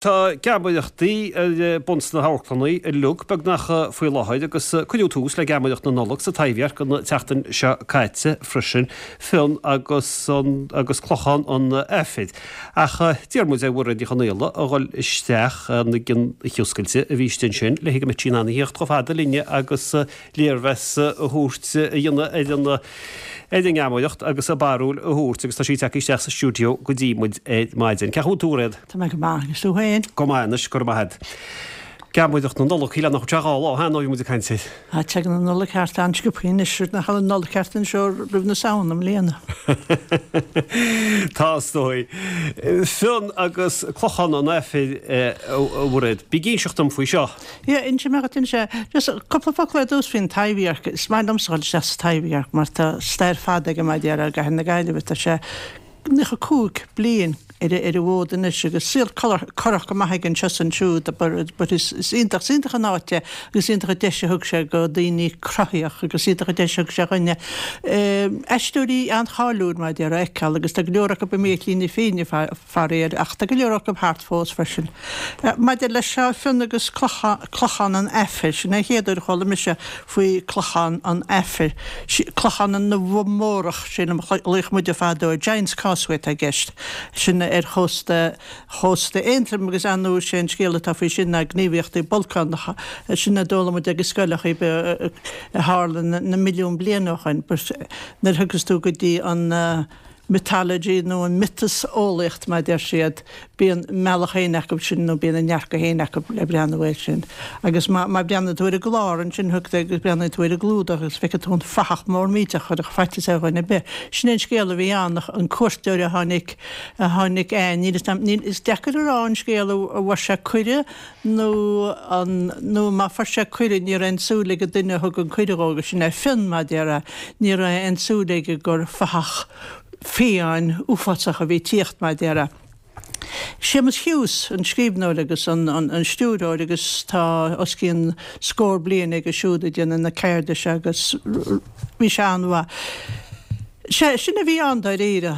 Tá geamaireachtaí ar bun sna hamharclanna uilig beagnach faoi láthair agus cuireadh tús le geamaireacht na Nollag sa Taibhdhearc an tseachtain seo caite freisin, Fionn agus agus Clochán an Aifir. Ach d'iarr muid ar Mhairéad Ní Chonaola a dhul isteach ag an oíche oscailte a bhí istigh ansin le go mbeadh sí in ann a thíocht chomh fada linne agus léirmheas a thabhairt a dhéanamh ar an ar an ngeamaireacht agus a barúil a thabhairt agus tá sí tagtha isteach sa stiúideo go dtí muid ar maidin. Cén chaoi a bhfuil tú, a Mhairéad? Tá mé go maith, agus tú féin? Go maith anois, go raibh maith agat. Geamaireacht na Nollag, shílfeá nach raibh sé 2 lá ó shin ó bhí muid ag caint air. Tá, tagann an Nollaig thart an-sciobtha anois, nach bhfuil an Nollaig thart anseo roimh na Samhna i mbliana. Tá, is dóigh. Fionn agus Clochán an Aifir, a Mhairéad. Bí ag inseacht dom faoi seo. Yeah, inseoidh mé dhuit anois é. Just cúpla focal ar dtús faoin Taibhdhearc. Is maith liomsa dhul isteach sa Taibhdhearc mar tá stair fada aige mar a déarfá i gcathair na Gaillimhe. Tá sé 95 bliain ar an bhfód anois agus saol corrach go maith aige anseo is ansiúd but is iontach, is iontach an áit é agus is iontach an deis a thug sé go daoine cruthaitheach agus is iontach an deis a thug sé dhuine aisteoirí an-cháiliúil mar a déarfá a fheiceáil agus tá go leor acu imithe ar shlí na fírinne faraor ach tá go leor acu thart fós freisin. Maidir leis seo, Fionn agus Clochán an Aifir, sin é an chéad uair a chuala mise faoi Clochán an Aifir. Clochán na bhFomórach, sin a ghlaodh muide fadó air. Giant's Causeway atá i gceist. Sin ar chósta chósta Aontroim agus ar ndóigh sé an scéal atá faoi sin ná gníomhaíochtaí bolcánacha. Sin a d'fhoghlaim muid ag an scoil a a tharla na milliún bliain ó shoin. But nuair a thiocfas tú go dtí an mythology nó an miotaseolaíocht mar a deir siad, bíonn a mbealach féin acu sin nó bíonn a ndearcadh féin acu le breathnú air sin. Agus má má breathnaíonn tú ar an gclár ansin thugtar agus breathnaíonn tú ar an gclúdach agus feicfidh tú an fathach mór millteach a chuirfeadh faitíos ar dhuine ar bith. Sin é an scéal a bhí ann, an cuairteoir a tháinig a tháinig eh níl 'fhios a'm níl is deacair a rá an scéal a bhfuair sé cuireadh nó an, nó má fuair sé cuireadh, ní raibh aon súil ag an duine a thug an cuireadh dhó, agus sin é Fionn, mar a déarfá, ní raibh aon súil aige gur fathach fiáin uafásach a bhí ag tíocht, mar a déarfá. Séamus Hughes, an scríbhneoir agus an, an, an stiúrthóir agus tá os cionn scór bliain aige siúd ag déanamh na ceirde seo agus bhí sé an-mhaith. Sea, sin a bhí ann dáiríre.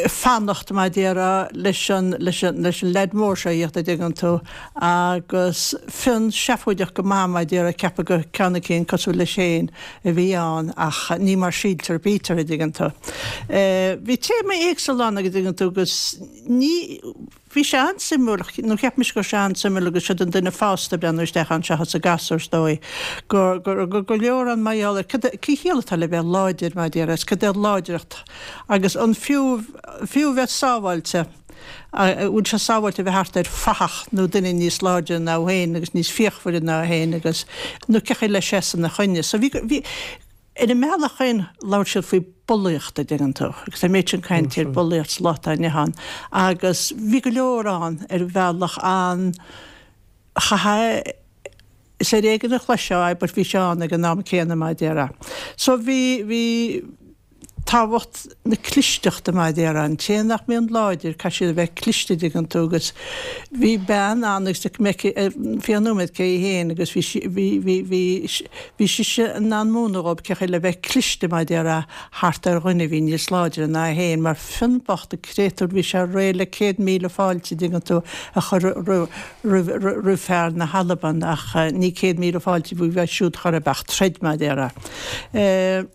fanacht, mar a déarfá, leis an, leis an, leis an leaid mór seo a thíocht, a' dtuigeann tú, agus Fionn seafóideach go maith, mar a déarfá, ag ceapadh gur ceann eicínt cosúil leis féin a bhí ann ach ní mar síltear a bítear, a' dtuigeann tú. Bhí téamaí éagsúla ann, a' dtuigeann tú, agus ní, Bhí sé an-suimiúil, nó cheap mise go raibh sé an-suimiúil agus siod an duine fásta ag breathnú isteach ann seachas an gasúr is dóigh, go raibh go leor ann mar gheall ar cad é, cén chiall atá le bheith láidir mar a déarfá, is cad é láidreacht agus an fiú, fiú bheith sábháilte, an bhfuil sé sábháilte a bheith thart ar fathach nó duine níos láidre ná thú féin agus níos fíochmhaire ná thú féin agus, nó cén chaoi le seasamh ina choinne. So bhí, bhí. Ar a mbealach féin, labhair siad faoi bulaíocht, a dtuigeann tú, agus tá an méid sin cainte ar bulaíocht sa lá atá inniu ann, agus bhí go leor ann ar bhealach an, chaithfeá, is ar éigean a chloisfeá é but bhí sé ann ag an am céanna mar a déarfá. So bhí, bhí tábhacht na clisteachta mar a déarfá, an té nach mbíonn láidir, caithfidh siad a bheith cliste, a dtuigeann tú, agus bhí bean ann agus d'fheicfidh mé faoi cheann nóiméad cé hí féin agus bhí sí, bhí, bhí, bhí, Bhí sise in ann múineadh dhób cé chaoi le bheith cliste mar a déarfá thart ar dhuine a bhí níos láidre ná é féin, mar Fionn bocht an créatúr bhí sé réidh le 100,000 fáilte, an dtuigeann tú, a chur roimh fear na hAlban ach ní 100,000 fáilte a bhí uaidh siúd chor ar bith ach troid mar a déarfá.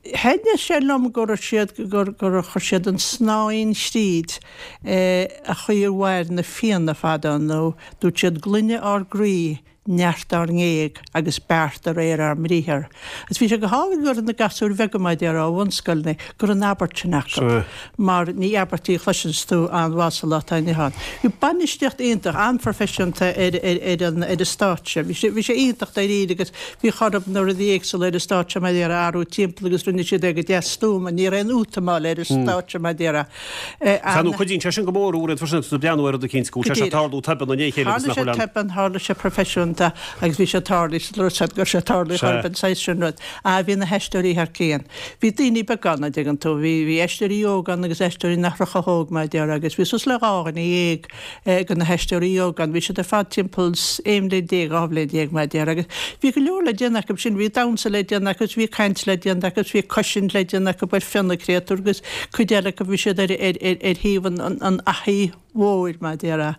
Thaitnigh sé liom go raibh siad, gur chuir siad an snáithín thríd an chaoi a mhair na Fianna fadó nó dúirt siad glaine ár gcroí, neart ár ngéag agus beart de réir ár mbriathar. Agus bhí sé go hálainn go raibh na gasúir bheaga mar a déarfá ó bhunscoileanna, go raibh an abairt sin acu mar ní abairt í a chloiseanns tú an-mhaith sa lá atá inniu ann. Bhí bainistíocht iontach, an-phroifisiúnta ar ar an ar an stáitse. Bhí sé bhí sé iontach dáiríre agus Bhí orthu na rudaí éagsúla ar an stáitse mar a déarfá a athrú timpeall agus rinne siad é go deas stuama. Ní raibh aon útamáil ar an stáitse mar a déarfá. Sea, nó cuidíonn sé sin go mór uaireanta freisin agus tú ag breathnú ar rud eicínt go bhfuil sé seo ag tarlú tobann i ndiaidh a chéile agus nach bhfuil an. Tharla sé tobann, tharla sé proifisiúnta agus bhí sé tarlaithe sa rud go raibh sé tarlaithe chor ar bith an saghas sin rud. Ah bhí na haisteoirí thar cionn. Bhí daoine beaga ann, a' dtuigeann tú. Bhí, bhí aisteoirí óga ann agus aisteoirí nach raibh chomh hóg mar a déarfá agus bhí suas le 12 dhuine de na haisteoirí óga ann. Bhí siad ar fad timpeall 11 bhliain, 12 bhliain mar a déarfá agus bhí go leor le déanamh acu sin. Bhí damhsa le déanamh acu, bhí caint le déanamh acu, bhí cosaint le déanamh acu ar Fionn an créatúr agus cuid eile acu bhí siad ar thaobh an fhathaigh. mhóir, mar a déarfá.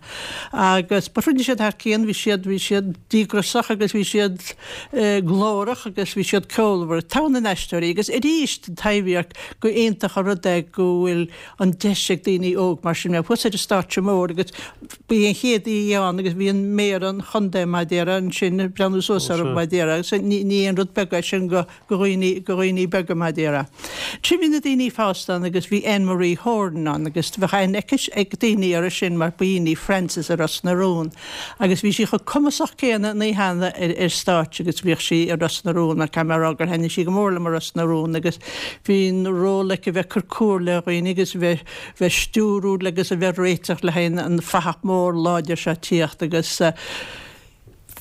Agus but rinne siad thar cionn, bhí siad, bhí siad díograiseach agus bhí siad glórach agus bhí siad ceolmhar. Togha na n-aisteoirí agus arís an Taibhdhearc, go iontach an rud é go bhfuil an deis ag daoine óg mar sin bheith thuas ar an stáitse mór agus ba í an chéad oíche ann agus bhí an méara an chontae mar a déarfá ansin ag breathnú suas orthu mar a déarfá agus ní ní aon rud beag é sin go go dhaoine, go dhaoine beaga mar a déarfá. Ansin bhí na daoine fásta ann agus bhí Anne Marie Horan ann agus bheadh aithne aici, ag daoine uirthi sin mar ba í Frances i Ros na Rún agus bhí sí chomh cumasach céanna an oíche cheana ar, ar stáitse agus bhíodh sí i Ros na Rún mar caithfidh mé a rá gur thaitnigh sí go mór liom i Ros na Rún agus bhí an ról aici a bheith ag cur comhairle ar dhaoine agus a bheith, bheith stiúrú agus a bheith réiteach le haghaidh an fathach mór láidir seo tíocht agus.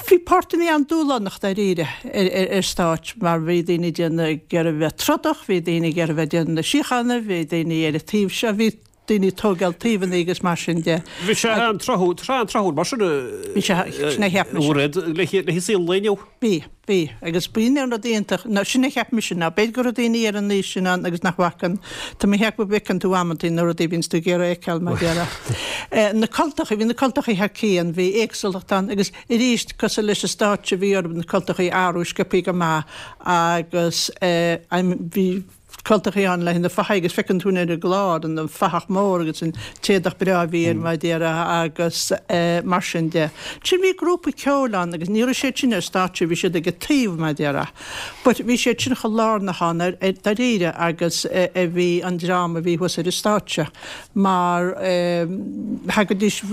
Bhí páirteanna an-dúshlánach dáiríre ar stáitse mar bhí daoine ag déanamh ag iarraidh bheith trodach, bhí daoine ag iarraidh bheith ag déanamh na síochána, bhí daoine ar an taobh seo, bhí daoine ag tógáil taobhanna agus mar sin de. Bhí sé an-tráthúil, tá sé an-tráthúil mar sin Bhí sé, sin a cheap mise. Mairéad, le saol an lae inniu. Bhí, bhí. Agus b'in an rud iontach, nó sin a cheap mise, nó b'fhéidir go raibh daoine ar an aois sin ann agus nach bhfaca an, tá mé ag ceapadh go bhfeiceann tú amantaí na rudaí a bhíonns tú ag iarraidh a fheiceáil, mar a déarfá. Na cultachaí, bhí na cultachaí thar cionn, bhí éagsúlacht ann agus arís, cosúil leis an stáitse, bhí orthu na cultachaí a athrú sciobthaí go maith agus bhí, cultachaí ann le haghaidh na fathaigh agus feiceann tú ar an gclár an fathach mór agus an t-éadach breá a bhí air mar a déarfá agus mar sin de. Ansin bhí grúpa ceoil ann agus ní raibh siad sin ar stáitse, bhí siad ag an taobh mar a déarfá. But bhí siad sin chomh lárnach ann ar dáiríre agus a bhí an dream a bhí thuas ar an stáitse mar thagaidís,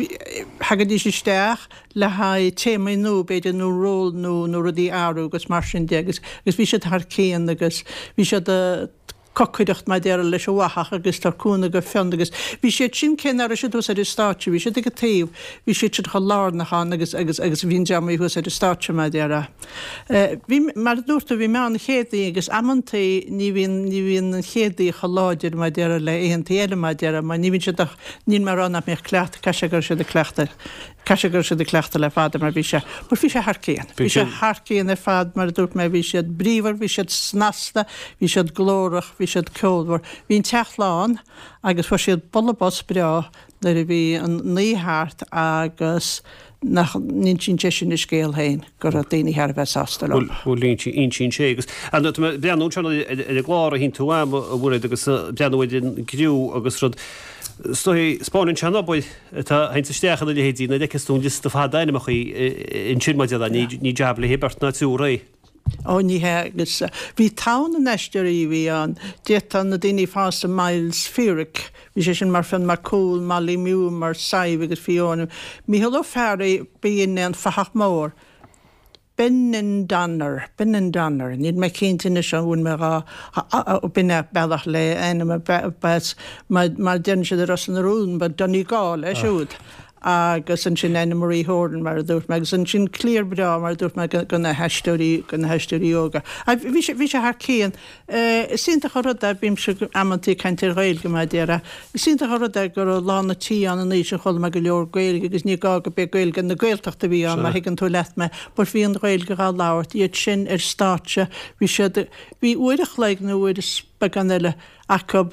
thagaidís isteach, le haghaidh téamaí nua b'fhéidir nó ról nua nó rudaí a athrú agus mar sin de agus agus bhí siad thar cionn agus bhí siad ag cocaireacht mar a déarfá leis an bhfathach agus tabhairt cúnamh go Fionn agus bhí siad sin cé nach raibh siad thuas ar an stáitse bhí siad ag an taobh bhí siad sin chomh lárnach ann agus agus agus bhí an dream a bhí thuas ar an stáitse mar a déarfá. Bhí mar a dúirt tú bhí mé ann an chéad oíche agus amantaí ní bhíonn ní bhíonn an chéad oíche chomh láidir mar a déarfá le oícheantaí eile mar a déarfá mar ní bhíonn siad ach níl mé ag rá nach mbíodh cleachtadh caithfidh sé go raibh siad ag cleachtadh Caithfidh sé go raibh siad ag cleachtadh le fada mar bhí sé, but bhí sé thar cionn. Bhí sé thar cionn ar fad mar a dúirt mé, bhí siad bríomhar, bhí siad snasta, bhí siad glórach, bhí siad ceolmhar. Bhí an teach lán agus fuair siad bualadh bos breá nuair a bhí an oíche thart agus nach n-insíonn sé sin a scéal féin go raibh daoine thar a bheith sásta leo. Bhuel, insíonn sé agus tá mé ag breathnú anseo ar an gclár a shín tú a'm a Mhairéad agus ag breathnú ar an gcriú agus rud, is dóigh, 'spáineann sé an obair. atá ag teacht isteach ina leithéidí, nuair a fheiceas tú an liosta fada ainmneacha ansin maidir le, ní jab le haghaidh beirt ná triúr é. Ó ní hea, agus bhí togha na n-aisteoirí a bhí ann, d'fhéadfá na daoine fásta Myles Feerick, bhí sé sin mar Fionn Mac Cumhaill, Molly Mew mar Sadhbh agus Fiona, Mícheál Ó Fearraigh, b'in é an fathach mór. Benandonner, Benandonner, níl mé cinnte anois an bhfuil mé dhá, b'in é bealach le ainm a b'as, mar mar deireann siad i Ros na Rún, ba Donegal é siúd. Agus ansin Anna Marie Horan mar a dúirt mé, agus ansin cliar breá mar a dúirt mé go na haisteoirí, go na haisteoirí óga. Bhí sé, bhí sé thar cionn. Is iontach an rud é, bímse amantaí ag caint ar Ghaeilge mar a déarfá, is iontach an rud é go raibh lán an tí ann an oíche sin, chuala mé go leor Gaeilge agus ní gá go b'é Gaeilge na Gaeltachta a bhí ann má thuigeann tú leat mé, but bhí an Ghaeilge dhá labhairt, iad sin ar stáitse, bhí siad, bhí uair a chloig nó uair is beagán eile acu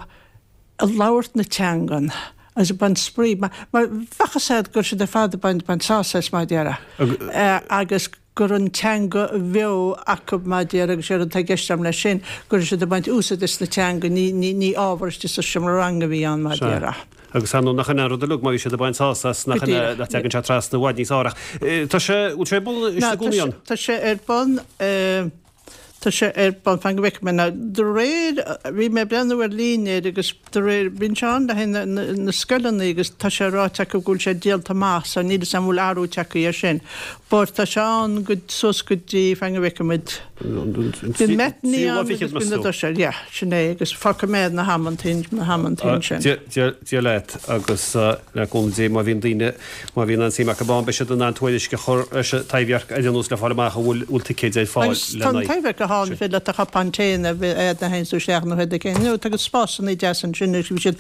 ag labhairt na teangan agus ag baint spraoi, mar bheadh a fhios agat go raibh siad ar fad ag baint, baint sásamh as mar a déarfá agus. go raibh an teanga bheo acu mar a déarfá agus séard atá i gceist agam leis sin, go raibh siad ag baint úsaid as na teanga, ní, ní, ní ábhar istigh sa seomra ranga a bhí ann mar a déarfá. Agus ar ndóigh nach in é an rud uilig má bhí siad ag baint sásamh as, nach in é nach dtagann sé trasna i bhfad níos fearr ach tá sé, bhfuil sé ar bun i gcónaí ann? Tá sé ar bun, Tá sé ar bun, fan go bhfeicfidh mé now. De réir, bhí mé ag breathnú ar líne air agus de réir, bíonn sé ann le haghaidh na, na scoileanna agus tá sé ráite acu go bhfuil sé díolta amach so níl 'fhios a'm an bhfuil athrú tagtha air sin. But tá sé ann go, suas go dtí, fan go bhfeicfidh muid. Bíonn matinee ann agus bíonn na doiséil, yeah, sin é agus fágfaidh mé na hamantaí, na hamantaí ansin. Dia leat agus le cúnamh Dé má bhíonn daoine, má bhíonn aon suim acu ann, beidh siad in ann tuairisc a chur leis an Taibhdhearc ar aon nós le fáil amach an bhfuil bhfuil ticéid ar fáil Agus tá an Taibhdhearc go hálainn, féidir leat do chupán tae a bheith a'd nuair a théanns tú isteach nó rud éigin, nó tá spásanna deasa ansin agus bhí siad.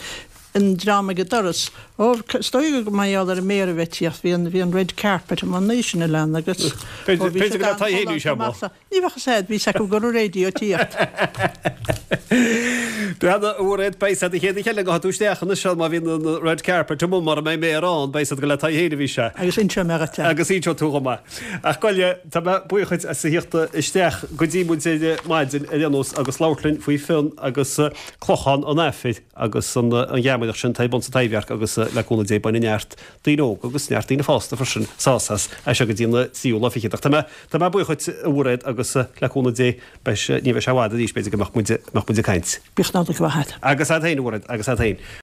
an dream ag an doras, Ó, is dóigh gur mar gheall ar an méara a bheith ag tíocht, bhí an, bhí an red carpet amuigh an oíche sin a lean agus, ó, bhí siad an-ghalánta. Ní bheadh fhios a'd, bhí 's acu go raibh radio ag tíocht. Breathnaigh, a Mhairéad, beidh 's a'd an chéad oíche eile a ghabhfaidh tú isteach anois má bhíonn an red carpet amuigh mura mbeidh méara ann, beidh 's a'd gur le Tadhg féin a bhí sé. Agus inseoidh mé dhuit é. Agus inseoidh tú dhom é. Ach gabh i leith, tá mé buíoch dhuit as a thíocht isteach go dtí muid ar maidin ar aon nós agus labhairt linn faoi Fionn agus Clochán an Aifir agus an gheamaireacht sin atá ar bun sa Taibhdhearc agus le cúnamh Dé bainfidh neart daoine óga agus neart daoine fásta freisin sásamh as, as seo go dtí an tríú lá fichead. Ach tá mé, tá mé buíoch dhuit, a Mhairéad, agus le cúnamh Dé, beidh sé, ní bheidh sé i bhfad arís, b'fhéidir, go mbeadh muid, mbeadh muid ag caint. Bíodh Nollaig mhaith agat. Agus agat féin, a Mhairéad, agus agat féin.